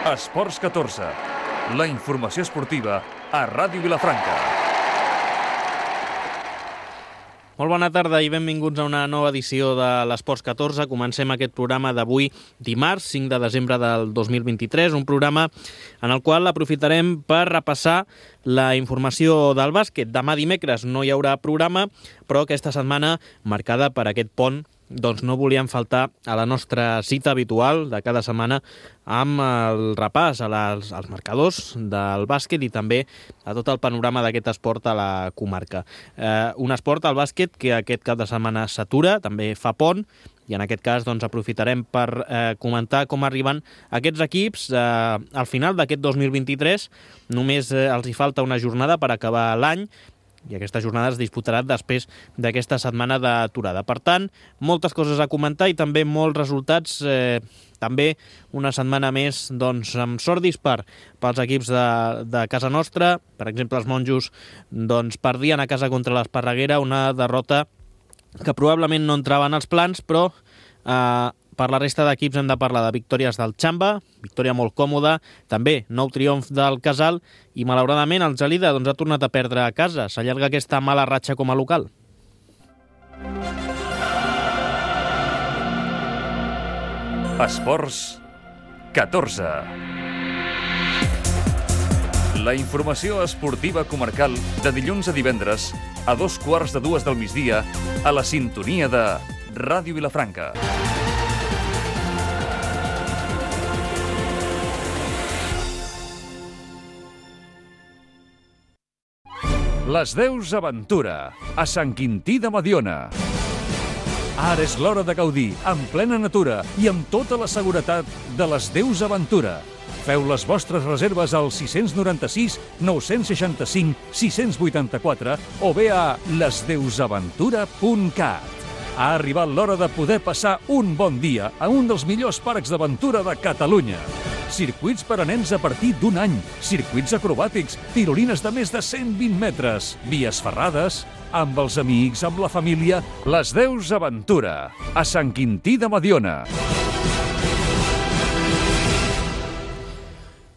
Esports 14, la informació esportiva a Ràdio Vilafranca. Molt bona tarda i benvinguts a una nova edició de l'Esports 14. Comencem aquest programa d'avui, dimarts, 5 de desembre del 2023, un programa en el qual aprofitarem per repassar la informació del bàsquet. Demà dimecres no hi haurà programa, però aquesta setmana, marcada per aquest pont, doncs no volíem faltar a la nostra cita habitual de cada setmana amb el repàs als marcadors del bàsquet i també a tot el panorama d'aquest esport a la comarca. Un esport, el bàsquet, que aquest cap de setmana s'atura, també fa pont, i en aquest cas doncs, aprofitarem per comentar com arriben aquests equips al final d'aquest 2023. Només els hi falta una jornada per acabar l'any, i aquesta jornada es disputarà després d'aquesta setmana d'aturada. Per tant, moltes coses a comentar i també molts resultats, també una setmana més doncs, amb sort dispar pels equips de casa nostra. Per exemple, els monjos doncs, perdien a casa contra l'Esparreguera, una derrota que probablement no entrava en els plans, però per la resta d'equips hem de parlar de victòries del Xamba, victòria molt còmoda, també nou triomf del Casal, i malauradament el Gelida doncs, ha tornat a perdre a casa. S'allarga aquesta mala ratxa com a local. Esports 14. La informació esportiva comarcal de dilluns a divendres a 2:15 del migdia a la sintonia de Ràdio Vilafranca. Les Deus Aventura, a Sant Quintí de Mediona. Ara és l'hora de gaudir, en plena natura i amb tota la seguretat de les Deus Aventura. Feu les vostres reserves al 696 965 684 o bé a lesdeusaventura.cat. Ha arribat l'hora de poder passar un bon dia a un dels millors parcs d'aventura de Catalunya. Circuits per a nens a partir d'un any, circuits acrobàtics, tirolines de més de 120 metres, vies ferrades, amb els amics, amb la família. Les Deus Aventura, a Sant Quintí de Mediona.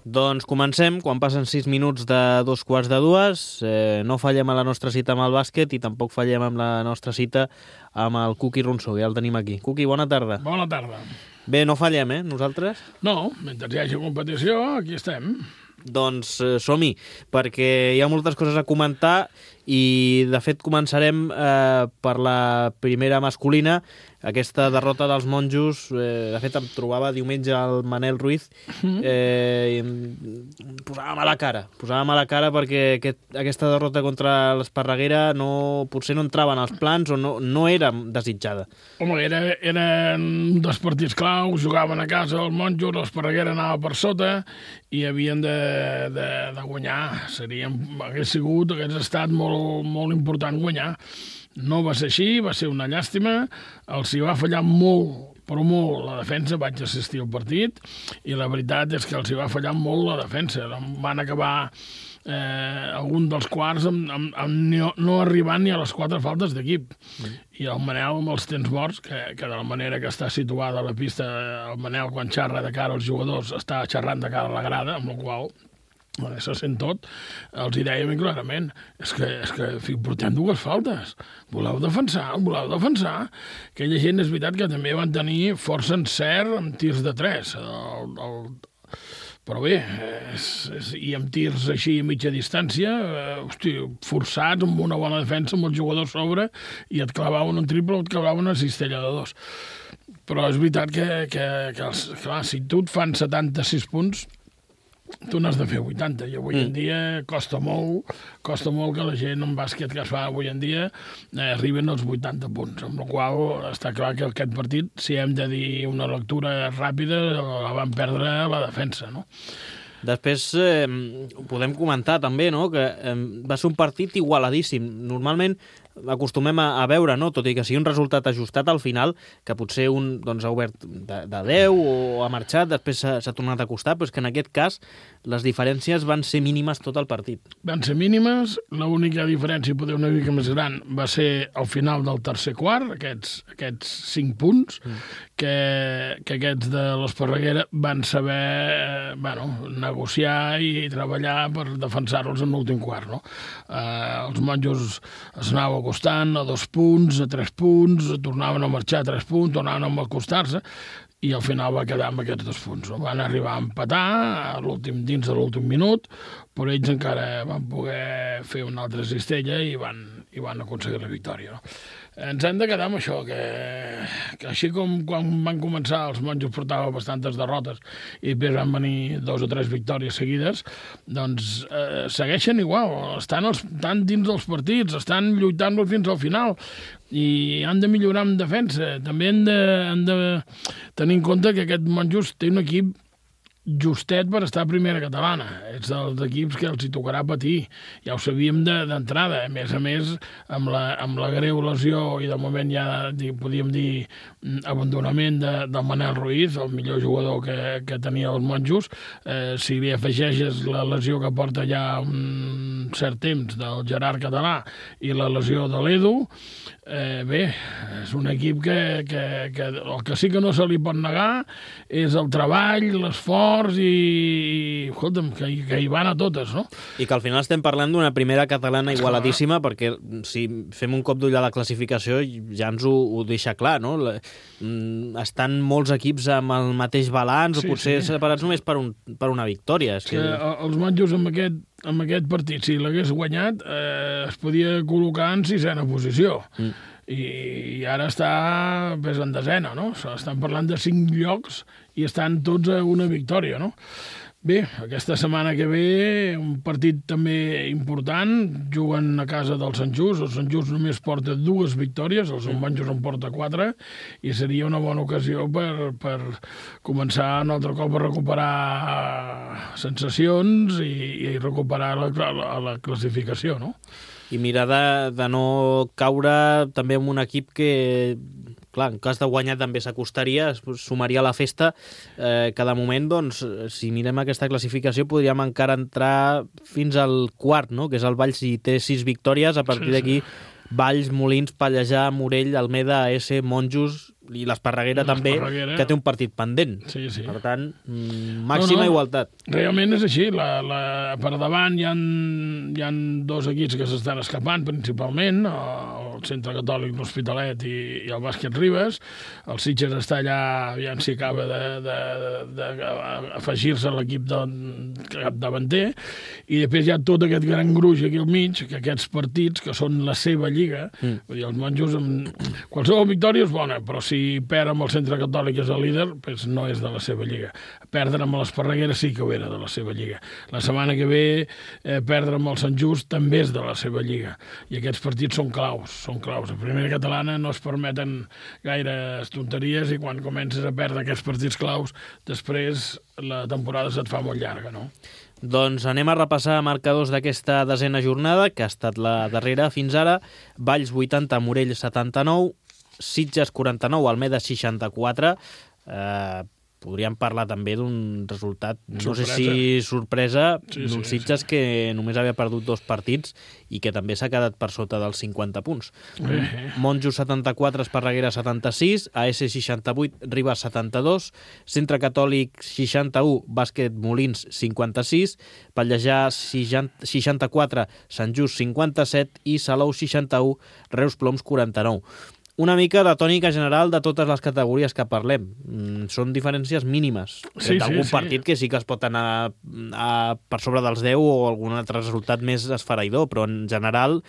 Doncs comencem, quan passen 6 minuts de 2:15. No fallem a la nostra cita amb el bàsquet i tampoc fallem amb la nostra cita amb el Cuqui Ronsó, ja el tenim aquí. Cuqui, bona tarda. Bona tarda. Bé, no fallem, nosaltres? No, mentre hi hagi competició, aquí estem. Doncs som-hi, perquè hi ha moltes coses a comentar i, de fet, començarem per la primera masculina, aquesta derrota dels monjos. De fet, em trobava diumenge el Manel Ruiz i em posava mala cara perquè aquesta derrota contra l'Esparreguera potser no entrava en els plans o no era desitjada. Home, eren un dels partits claus, jugaven a casa els monjos, l'Esparreguera anava per sota i havien de guanyar. Hagués estat molt important guanyar. No va ser així, va ser una llàstima. Els hi va fallar molt, però molt, la defensa. Vaig assistir al partit i la veritat és que els hi va fallar molt la defensa. Van acabar algun dels quarts no arribant ni a les 4 faltes d'equip. I el Manel, amb els temps morts, que de la manera que està situada a la pista, el Manel, quan xerra de cara als jugadors, està xerrant de cara a la grada, amb la qual se sent tot, els hi deia ben clarament, és que portem 2 faltes, voleu defensar. Aquella gent és veritat que també van tenir força encert amb tirs de 3, però bé, i amb tirs així a mitja distància, forçats, amb una bona defensa, amb el jugador sobre, i et clavaven un triple o et clavaven una cistella de 2. Però és veritat que clar, si tu et fan 76 punts, tu n'has de fer 80, i avui en dia costa molt que la gent en bàsquet que es fa avui en dia arriben als 80 punts, amb la qual està clar que aquest partit, si hem de dir una lectura ràpida, la van perdre la defensa, no? Després podem comentar també, no?, que va ser un partit igualadíssim. Normalment acostumem a veure, no? Tot i que sigui un resultat ajustat al final, que potser un doncs, ha obert de 10 o ha marxat, després s'ha tornat a acostar, però és que en aquest cas les diferències van ser mínimes tot el partit. Van ser mínimes, l'única diferència, poder una mica més gran, va ser al final del tercer quart, aquests 5 punts, que aquests de l'Esparreguera van saber negociar i treballar per defensar-los en l'últim quart, no? Els monjos es anava acostant a 2 punts, a 3 punts, tornaven a marxar a 3 punts, tornaven a acostar-se, i al final va quedar amb aquests 2 punts. No? Van arribar a empatar dins de l'últim minut, però ells encara van poder fer una altra cistella i van aconseguir la victòria. No? Ens hem de quedar amb això, que així com quan van començar els monjos portaven bastantes derrotes i després van venir 2 o 3 victòries seguides, doncs segueixen igual, estan dins dels partits, estan lluitant-los fins al final i han de millorar en defensa. També han de tenir en compte que aquest monjos té un equip justet per estar a primera catalana. És dels equips que els hi tocarà patir. Ja ho sabíem d'entrada. A més, amb la greu lesió i de moment ja podíem dir abandonament del Manel Ruiz, el millor jugador que tenia els monjos. Si li afegeixes la lesió que porta ja un cert temps del Gerard Català i la lesió de l'Edu, bé, és un equip que el que sí que no se li pot negar és el treball, l'esforç i escolta'm, que hi van a totes, no? I que al final estem parlant d'una primera catalana igualadíssima, perquè si fem un cop d'ull a la classificació ja ens ho deixa clar, no? Estan molts equips amb el mateix balanç, o potser separats només per una victòria. Que els monjos amb aquest partit, si l'hagués guanyat, es podia col·locar en 6ena posició. I ara està en 10ena, no? Estan parlant de 5 llocs i estan tots a una victòria, no? Bé, aquesta setmana que ve, un partit també important, juguen a casa del Sant Just, el Sant Just només porta 2 victòries, el Sant Monjos en porta 4, i seria una bona ocasió per començar un altre cop a recuperar sensacions i recuperar la classificació, no? I mirar de no caure també en un equip que, clar, en cas de guanyar també s'acostaria, es sumaria a la festa, que de moment, doncs, si mirem aquesta classificació, podríem encara entrar fins al quart, no?, que és el Valls, si té 6 victòries, a partir d'aquí Valls, Molins, Pallejà, Morell, Almeda, AS, Monjos i l'Esparreguera també, que té un partit pendent. Sí. Per tant, màxima igualtat. Realment és així. Per davant hi ha 2 equips que s'estan escapant, principalment, el Centre Catòlic, l'Hospitalet i el Bàsquet Ribes. El Sitges està allà, aviam si acaba d'afegir-se a l'equip capdavanter, i després hi ha tot aquest gran gruix aquí al mig, que aquests partits, que són la seva lliga, vull dir, els monjos, qualsevol victòria és bona, però si perd amb el Centre Catòlic és el líder, doncs no és de la seva lliga. Perdre amb l'Esparreguera sí que ho era de la seva lliga. La setmana que ve, perdre amb el Sant Just també és de la seva lliga. I aquests partits són claus. A primera catalana no es permeten gaire tonteries i quan comences a perdre aquests partits claus, després la temporada se't fa molt llarga, no? Doncs anem a repassar marcadors d'aquesta 10ena jornada, que ha estat la darrera fins ara. Valls 80, Morell 79, Sitges 49, Almeda 64. Podríem parlar també d'un resultat, no sé si sorpresa, d'un Sitges que només havia perdut 2 partits i que també s'ha quedat per sota dels 50 punts. Monjos 74, Esparreguera 76, AS 68, Ribes 72, Centre Catòlic 61, Bàsquet Molins 56, Pallejà 64, Sant Just 57 i Salou 61, Reus Ploms 49. Una mica de tònica general de totes les categories que parlem. Són diferències mínimes. D'algun partit que sí que es pot anar per sobre dels 10 o algun altre resultat més esfereïdor, però en general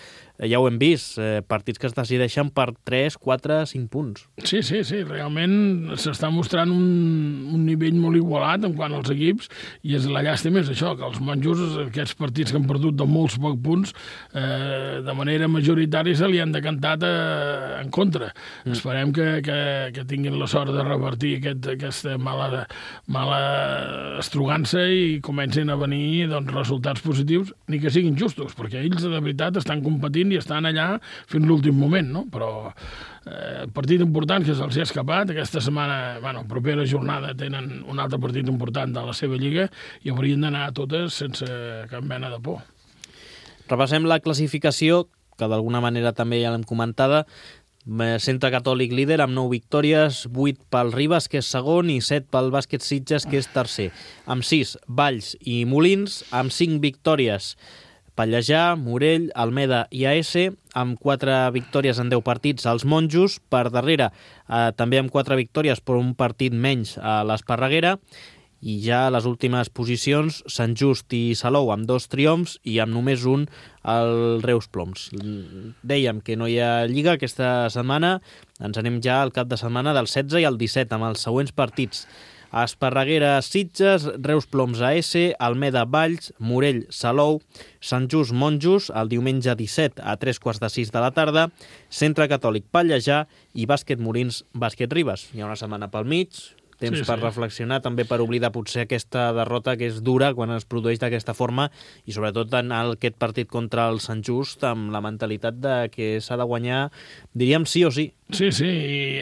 ja ho hem vist, partits que es decideixen per 3, 4, 5 punts. Sí, realment s'està mostrant un nivell molt igualat en quant als equips, i la llàstima és això, que els monjos, aquests partits que han perdut de molts pocs punts, de manera majoritària se li han decantat en contra. Esperem que tinguin la sort de revertir aquesta mala estrugança i comencin a venir resultats positius, ni que siguin justos, perquè ells de veritat estan competint patint i estan allà fins l'últim moment, no? Però partit important que se'ls ha escapat. Aquesta setmana, propera jornada, tenen un altre partit important de la seva lliga i haurien d'anar a totes sense cap mena de por. Repassem la classificació, que d'alguna manera també ja l'hem comentada. Centre Catòlic líder amb 9 victòries, 8 pel Ribes, que és segon, i 7 pel Bàsquet Sitges, que és tercer. Amb 6, Valls i Molins, amb 5 victòries, Pallejà, Morell, Almeda i AS, amb 4 victòries en 10 partits als Monjos. Per darrere, també amb 4 victòries, però un partit menys a l'Esparreguera. I ja a les últimes posicions, Sant Just i Salou amb 2 triomfs i amb només un el Reus Ploms. Dèiem que no hi ha lliga aquesta setmana, ens anem ja al cap de setmana del 16 i el 17 amb els següents partits. Esparreguera Sitges, Reus Ploms AS, Almeda Valls, Morell Salou, Sant Just Monjos el diumenge 17 a 3:45 de la tarda, Centre Catòlic Pallejà i Bàsquet Molins Bàsquet Ribes. Hi ha una setmana pel mig, temps per reflexionar, també per oblidar potser aquesta derrota que és dura quan es produeix d'aquesta forma i sobretot en aquest partit contra el Sant Just amb la mentalitat de que s'ha de guanyar, diríem sí o sí. Sí, i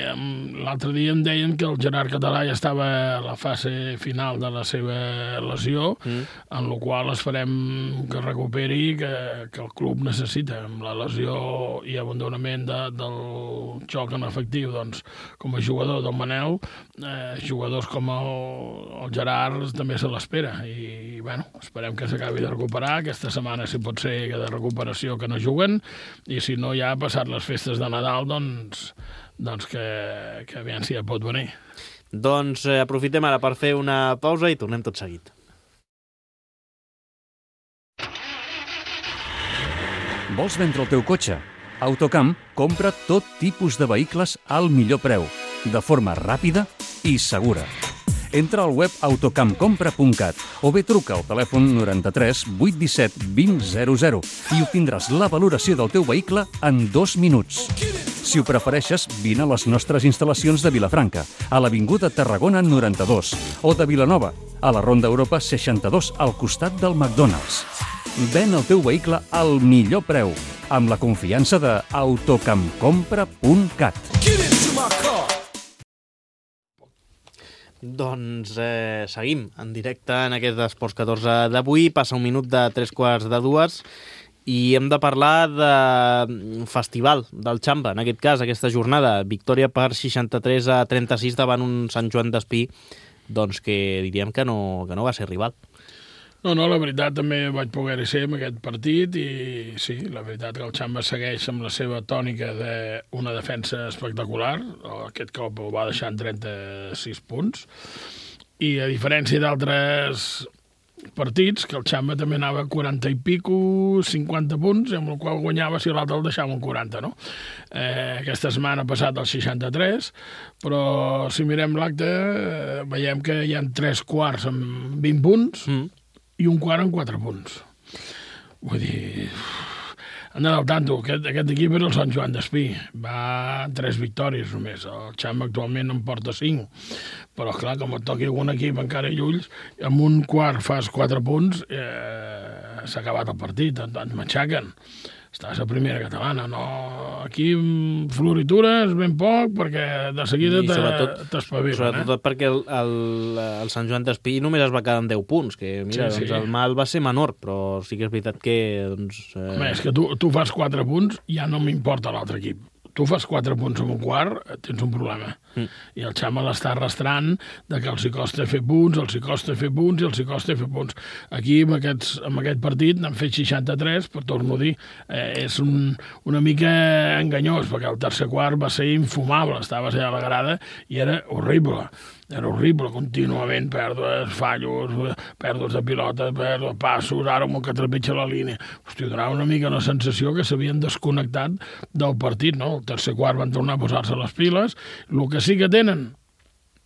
l'altre dia em deien que el Gerard Català ja estava a la fase final de la seva lesió, en la qual esperem que recuperi, que el club necessita. Amb la lesió i abandonament del joc en efectiu, doncs, com a jugador del Manel, jugadors com el Gerard també se l'espera. I, esperem que s'acabi de recuperar. Aquesta setmana, si pot ser que de recuperació que no juguen, i si no, ja passat les festes de Nadal, doncs que aviam si ja pot venir. Doncs aprofitem ara per fer una pausa i tornem tot seguit. Vols vendre el teu cotxe? Autocamp compra tot tipus de vehicles al millor preu, de forma ràpida i segura. Entra al web autocampcompra.cat o bé truca al telèfon 93 817 2000 i obtindràs la valoració del teu vehicle en 2 minuts. Si ho prefereixes, vine a les nostres instal·lacions de Vilafranca, a l'Avinguda Tarragona 92, o de Vilanova, a la Ronda Europa 62, al costat del McDonald's. Ven el teu vehicle al millor preu, amb la confiança de autocampcompra.cat. Doncs seguim en directe en aquest Esports 14 d'avui. Passa un minut de 3:45 i hem de parlar de festival del Xamba, en aquest cas, aquesta jornada. Victòria per 63-36 davant un Sant Joan d'Espí, doncs que diríem que no va ser rival. No, la veritat també vaig poder-hi ser en aquest partit i sí, la veritat que el Xamba segueix amb la seva tònica d'una defensa espectacular. Aquest cop ho va deixar en 36 punts i a diferència d'altres partits, que el Xamba també anava a 40 i pico, 50 punts, amb el qual guanyava si l'altre el deixava en 40, no? Aquesta setmana ha passat el 63, però si mirem l'acte veiem que hi ha 3 quarts amb 20 punts i un quart amb 4 punts. Vull dir, han d'anar al tanto. Aquest equip era el Sant Joan d'Espí. Va 3 victòries només. El Xamba actualment en porta 5. Però, clar, com et toqui algun equip encara i ulls, amb un quart fas 4 punts, s'ha acabat el partit, et matxaquen. Estàs a primera catalana, no? Aquí floritures ben poc, perquè de seguida t'espavilen. Sobretot perquè el Sant Joan d'Espí només es va quedar amb 10 punts, que mira, sí. Doncs el mal va ser menor, però sí que és veritat que... Home, és que tu fas 4 punts, ja no m'importa l'altre equip. Tu fas 4 punts en un quart, tens un problema. I el Xamba l'està arrastrant de que els hi costa fer punts, Aquí, amb aquest partit, n'han fet 63, però torno a dir, és una mica enganyós, perquè el tercer quart va ser infumable, estaves allà a la grada i era horrible. Era horrible, contínuament, pèrdues, fallos, pèrdues de pilota, pèrdues, passos, ara un que trepitja la línia. Hòstia, donava una mica la sensació que s'havien desconnectat del partit, no? El tercer quart van tornar a posar-se les piles. El que sí que tenen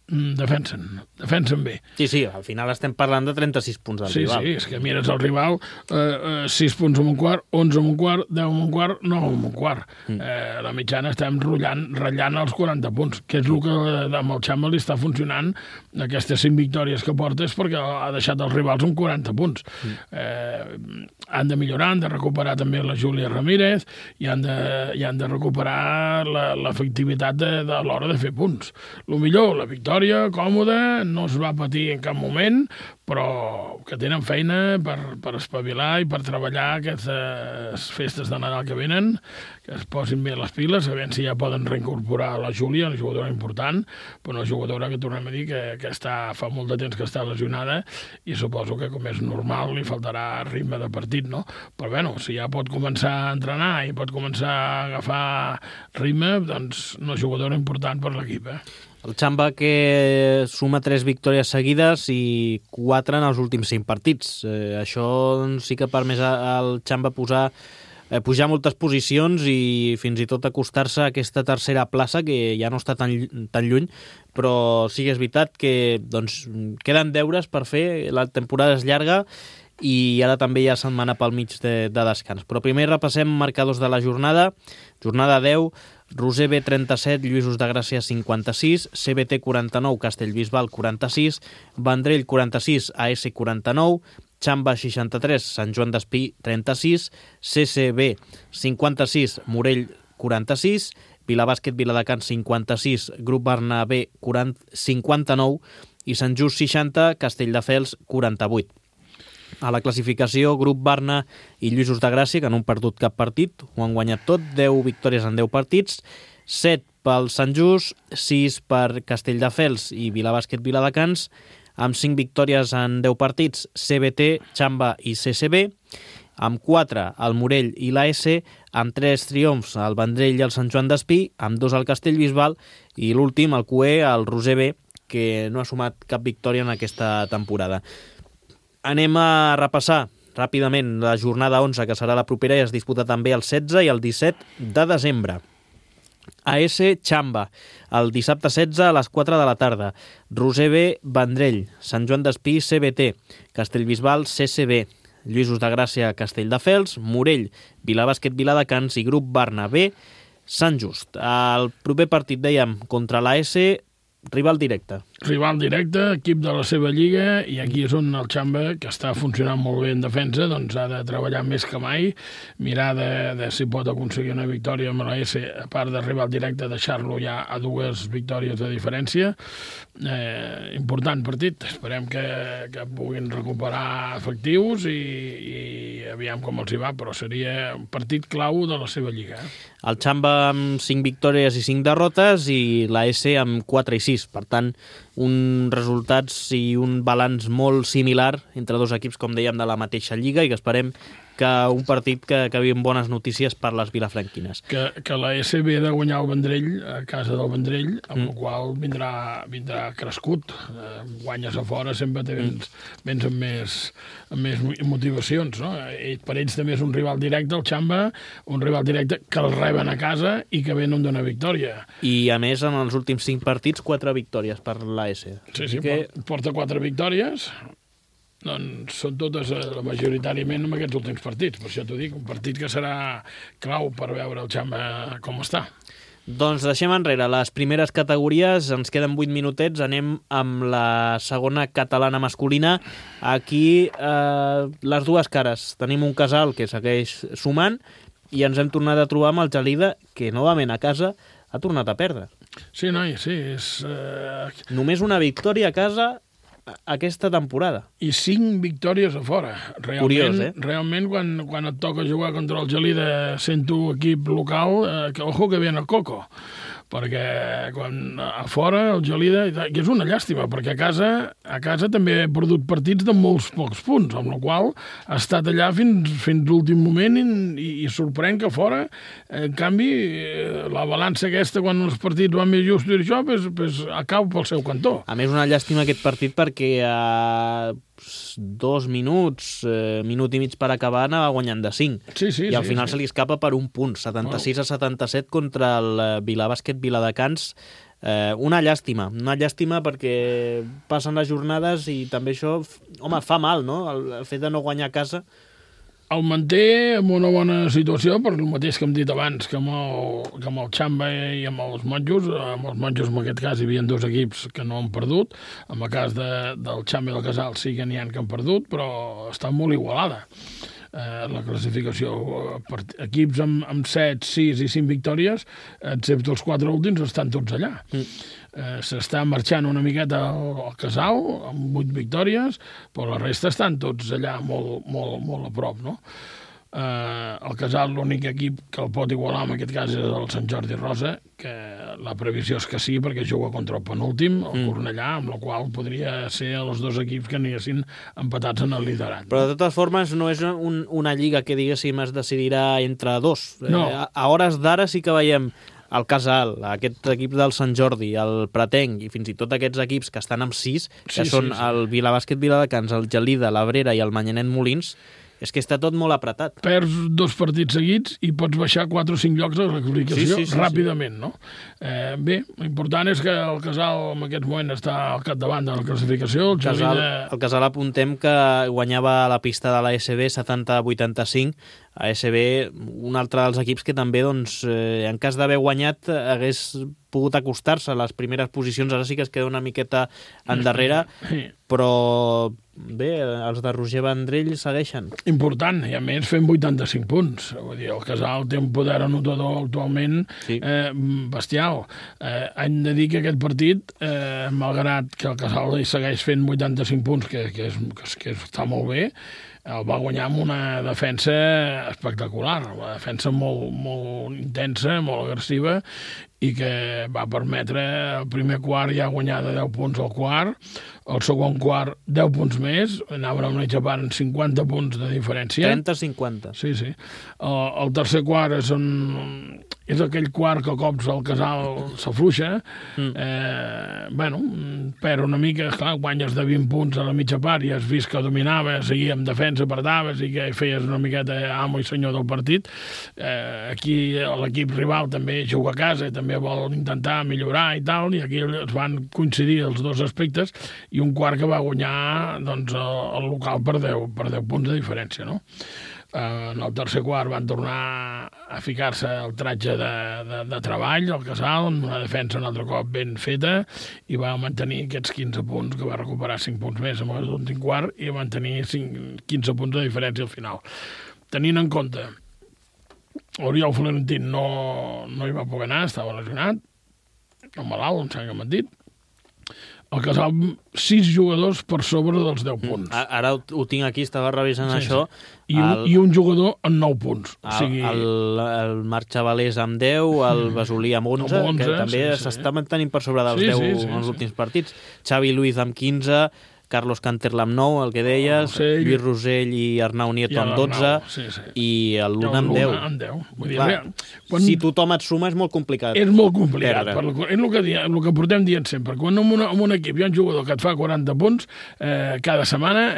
defensen bé. Sí, al final estem parlant de 36 punts del rival. Sí, és que mires el rival, 6 punts en un quart, 11 en un quart, 10 en un quart, 9 en un quart. La mitjana estem ratllant els 40 punts, que és el que amb el Xamba li està funcionant. Aquestes 5 victòries que porta és perquè ha deixat els rivals amb 40 punts. Han de millorar, han de recuperar també la Júlia Ramírez i han de recuperar l'efectivitat de l'hora de fer punts. El millor, la victòria còmoda, no es va patir en cap moment, però que tenen feina per espavilar i per treballar aquestes festes de Nadal que venen, que es posin bé les piles, a veure si ja poden reincorporar la Júlia, una jugadora important, però una jugadora que tornem a dir que fa molt de temps que està lesionada i suposo que, com és normal, li faltarà ritme de partit, no? Però bueno, si ja pot començar a entrenar i pot començar a agafar ritme, doncs una jugadora important per l'equip, El Xamba que suma 3 victòries seguides i 4 en els últims 5 partits. Això sí que permet al Xamba pujar moltes posicions i fins i tot acostar-se a aquesta tercera plaça, que ja no està tan lluny, però sí que és veritat que queden deures per fer, la temporada és llarga i ara també hi ha setmana pel mig de descans. Però primer repassem marcadors de la jornada. Jornada 10, Roser B 37, Lluïsos de Gràcia 56, CBT 49, Castellbisbal 46, Vendrell 46, AS 49, Xamba 63, Sant Joan d'Espí 36, CCB 56, Morell 46, Vilabàsquet Viladecans 56, Grup Barna B 59 i Sant Just 60, Castelldefels 48. A la classificació, Grup Barna i Lluïsos de Gràcia, que no han perdut cap partit, ho han guanyat tot, 10 victòries en 10 partits, 7 pel Sant Just, 6 per Castelldefels i Vilabàsquet Viladecans, amb 5 victòries en 10 partits, CBT, Xamba i CCB, amb 4 el Morell i l'AS, amb 3 triomfs el Vendrell i el Sant Joan d'Espí, amb 2 el Castellbisbal i l'últim, el QE, el Roser B, que no ha sumat cap victòria en aquesta temporada. Anem a repassar ràpidament la jornada 11, que serà la propera i es disputa també el 16 i el 17 de desembre. AS Xamba, el dissabte 16 a les 4 de la tarda. Roser B, Vendrell, Sant Joan d'Espí, CBT, Castellbisbal, CCB, Lluïsos de Gràcia, Castelldefels, Morell, Vilabàsquet Viladecans i Grup Barna B, Sant Just. El proper partit, dèiem, contra l'AS, rival directe. Rival directe, equip de la seva lliga, i aquí és on el Xamba, que està funcionant molt bé en defensa, doncs ha de treballar més que mai, mirar de si pot aconseguir una victòria amb l'AS, a part de rival directe, deixar-lo ja a 2 victòries de diferència. Important partit, esperem que puguin recuperar efectius i aviam com els hi va, però seria un partit clau de la seva lliga. El Xamba amb 5 victòries i 5 derrotes i l'AS amb 4 i 6, per tant, uns resultats i un balanç molt similar entre 2 equips, com dèiem, de la mateixa lliga, i que esperem que un partit que acabi amb bones notícies per les vilafranquines. Que la SB ha de guanyar el Vendrell a casa del Vendrell, amb el qual vindrà crescut. Guanyes a fora sempre vens amb més motivacions, no? Per ells també és un rival directe, el Xamba, un rival directe que el reben a casa i que venen d'una victòria. I a més, en els últims 5 partits, 4 victòries per l'AS. Sí, porta 4 victòries. Doncs són totes majoritàriament en aquests últims partits. Per això t'ho dic, un partit que serà clau per veure el Xamba com està. Doncs deixem enrere les primeres categories, ens queden 8 minutets, anem amb la segona catalana masculina. Aquí les dues cares. Tenim un Casal que segueix sumant i ens hem tornat a trobar amb el Gelida, que novament a casa ha tornat a perdre. Sí, noi, sí. Només una victòria a casa aquesta temporada. I 5 victòries a fora. Curiós, Realment, quan et toca jugar contra el Gelida sent tu equip local, ojo que viene el coco. Perquè quan a fora el Gelida, que és una llàstima, perquè a casa també ha perdut partits de molts pocs punts, amb la qual ha estat allà fins l'últim moment i sorprèn que fora, en canvi, la balança aquesta, quan els partits van més justos i això, pues acaba pel seu cantó. A més, una llàstima aquest partit perquè a 2 minuts, minut i mig per acabar, anava guanyant de 5. Sí, I al final se li escapa per un punt, 76 a 77 contra el Vilabàsquet Viladecans, Una llàstima perquè passen les jornades i també això, home, fa mal, no? El fet de no guanyar a casa. El manté en una bona situació, per el mateix que hem dit abans, que amb el Xamba i amb els monjos. Amb els monjos, en aquest cas, hi havia 2 equips que no han perdut. En el cas del Xamba i del Casal sí que n'hi ha que han perdut, però està molt igualada. La classificació, equips amb 7, 6 i 5 victòries, excepte els 4 últims, estan tots allà. S'està marxant una miqueta al Casal, amb 8 victòries, però la resta estan tots allà molt, molt, molt a prop, no? El Casal, l'únic equip que el pot igualar en aquest cas és el Sant Jordi Rosa, que la previsió és que sí, perquè juga contra el penúltim, el Cornellà, amb la qual podria ser els 2 equips que anessin empatats en el liderat. Però de totes formes no és una lliga que, diguéssim, es decidirà entre 2. No. A hores d'ara sí que veiem el Casal, aquest equip del Sant Jordi, el Pretenc i fins i tot aquests equips que estan amb 6, que són el Vilabàsquet Viladecans, el Gelida, l'Abrera i el Manyanet Molins. És que està tot molt apretat. Perds 2 partits seguits i pots baixar 4 o 5 llocs de la classificació ràpidament, no? Bé, l'important és que el Casal en aquest moment està al capdavant de la classificació. El Casal apuntem que guanyava a la pista de l'ASB 70-85. ASB, un altre dels equips que també, doncs, en cas d'haver guanyat, hagués pogut acostar-se a les primeres posicions. Ara sí que es queda una miqueta endarrere, però bé, els de Roger Vendrell segueixen. Important, i a més fent 85 punts. Vull dir, el Casal té un poder anotador actualment bestial. Hem de dir que aquest partit, malgrat que el Casal hi segueix fent 85 punts, que està molt bé, el va guanyar amb una defensa espectacular, una defensa molt, molt intensa, molt agressiva, i que va permetre el primer quart ja guanyar de 10 punts al quart, el segon quart 10 punts més, anaven amb una part en 50 punts de diferència. 30-50. Sí. El tercer quart és aquell quart que a cops el Casal s'afluixa, perd una mica, clar, guanyes de 20 punts a la mitja part i has vist que dominava, seguia amb defensa, perdaves i que feies una miqueta amo i senyor del partit. Aquí l'equip rival també juga a casa, també vol intentar millorar i tal, i aquí es van coincidir els 2 aspectes, i un quart que va guanyar doncs, el local per 10 punts de diferència, no? En el tercer quart van tornar a ficar-se el tratge de treball, el Casal, amb una defensa un altre cop ben feta, i va mantenir aquests 15 punts, que va recuperar 5 punts més en l'últim quart, i va mantenir 15 punts de diferència al final. Tenint en compte, Oriol Florentín no hi va poder anar, estava lesionat, o malalt, em sembla que m'han dit. El Casal, 6 jugadors per sobre dels 10 punts. Ara ho tinc aquí, estava revisant això. I un jugador amb 9 punts. El Marc Chavalés amb 10, el Besolí amb 11, que també s'està mantenint per sobre dels 10 en els últims partits. Xavi Luiz amb 15, Carlos Canterla amb 9, el que deies, Lluís Rosell i Arnau Nieto amb 12, i el Luna amb 10. Si tothom et suma és molt complicat. És molt complicat. És el que portem dient sempre. Quan en un equip hi ha un jugador que et fa 40 punts cada setmana,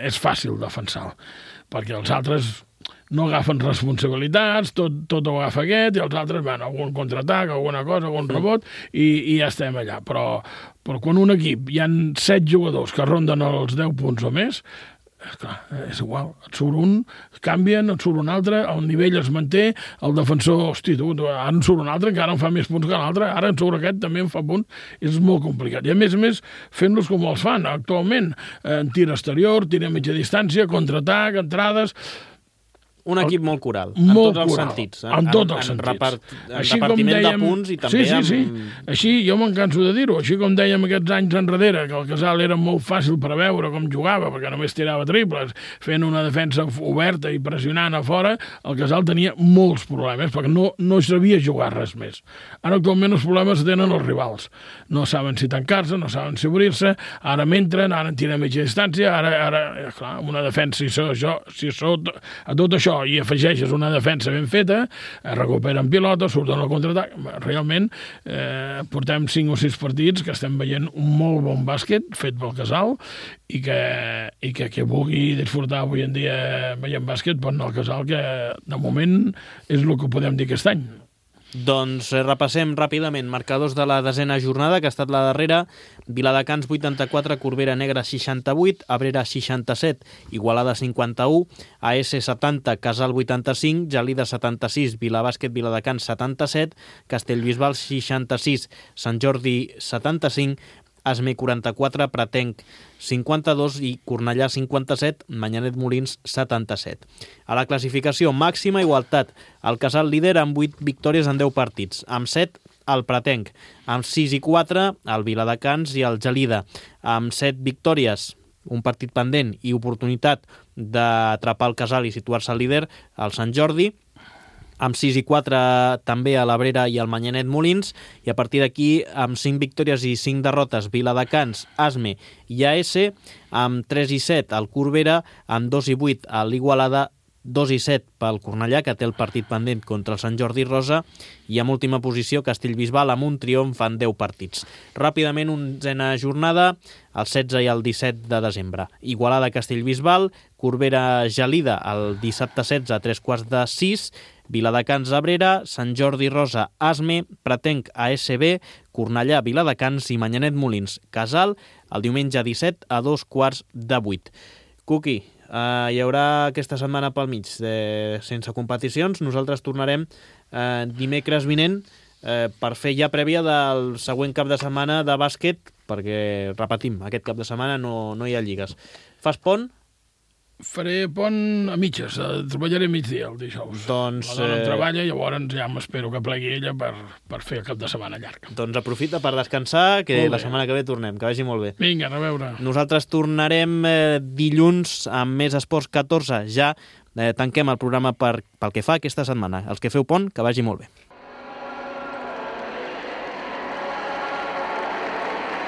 és fàcil defensar-lo, perquè els altres no agafen responsabilitats, tot ho agafa aquest, i els altres van a algun contraatac, alguna cosa, algun rebot, i ja estem allà. Però quan un equip hi ha 7 jugadors que ronden els 10 punts o més, esclar, és igual, et surt un, canvien, et surt un altre, el nivell es manté, el defensor, hosti, ara en surt un altre, encara en fa més punts que l'altre, ara en surt aquest, també en fa punts, és molt complicat. I a més, fent-los com els fan actualment, en tir exterior, tir a mitja distància, contraatac, entrades. Un equip molt coral, en tots els sentits. En tots els sentits. En repartiment de punts i també Sí. Així, jo me'n canso de dir-ho, així com dèiem aquests anys enrere, que el Casal era molt fàcil preveure com jugava, perquè només tirava triples, fent una defensa oberta i pressionant a fora, el Casal tenia molts problemes, perquè no sabia jugar res més. Ara actualment els problemes tenen els rivals. No saben si tancar-se, no saben si obrir-se, ara m'entren, ara en tiren a mitja distància, ara clar, amb una defensa, si a tot això i afegeixes una defensa ben feta, recuperen pilota, surten al contraatac. Realment, portem 5 o 6 partits que estem veient un molt bon bàsquet fet pel Casal i que vulgui disfrutar avui en dia veient bàsquet pot anar al Casal, que de moment és el que podem dir aquest any. Doncs repassem ràpidament marcadors de la desena jornada, que ha estat la darrera. Viladecans 84, Corbera Negra 68, Abrera 67, Igualada 51, AS 70, Casal 85, Gelida 76, Vilabàsquet Viladecans 77, Castellbisbal 66, Sant Jordi 75, Asme 44, Pratenc 52 i Cornellà 57, Manyanet Molins 77. A la classificació, màxima igualtat. El Casal líder amb 8 victòries en 10 partits, amb 7 el Pratenc, amb 6 i 4 el Viladecans i el Gelida, amb 7 victòries, un partit pendent i oportunitat d'atrapar el Casal i situar-se al líder, el Sant Jordi, amb 6 i 4 també a l'Abrera i el Manyanet Molins, i a partir d'aquí, amb 5 victòries i 5 derrotes, Viladecans, Asme i AS, amb 3 i 7 el Corbera, amb 2 i 8 a l'Igualada, 2 i 7 pel Cornellà, que té el partit pendent contra el Sant Jordi Rosa, i en última posició Castellbisbal amb un triomf en 10 partits. Ràpidament, onzena jornada, el 16 i el 17 de desembre. Igualada Castellbisbal, Corbera Gelida el dissabte 16 a 3:15, Viladecans Abrera, Sant Jordi Rosa Asme, Pratenc ASB, Cornellà Viladecans i Manyanet Molins Casal, el diumenge 17 a 7:15. Cuqui, hi haurà aquesta setmana pel mig sense competicions. Nosaltres tornarem dimecres vinent per fer ja prèvia del següent cap de setmana de bàsquet, perquè, repetim, aquest cap de setmana no hi ha lligues. Fas pont? Faré pont a mitges, treballaré migdia el dijous. Doncs, la dona treballa, llavors ja m'espero que plegui ella per fer el cap de setmana llarg. Doncs aprofita per descansar, que la setmana que ve tornem, que vagi molt bé. Vinga, a veure. Nosaltres tornarem dilluns amb més Esports 14. Ja tanquem el programa pel que fa aquesta setmana. Els que feu pont, que vagi molt bé.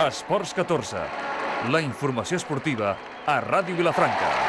Esports 14, la informació esportiva a Ràdio Vilafranca.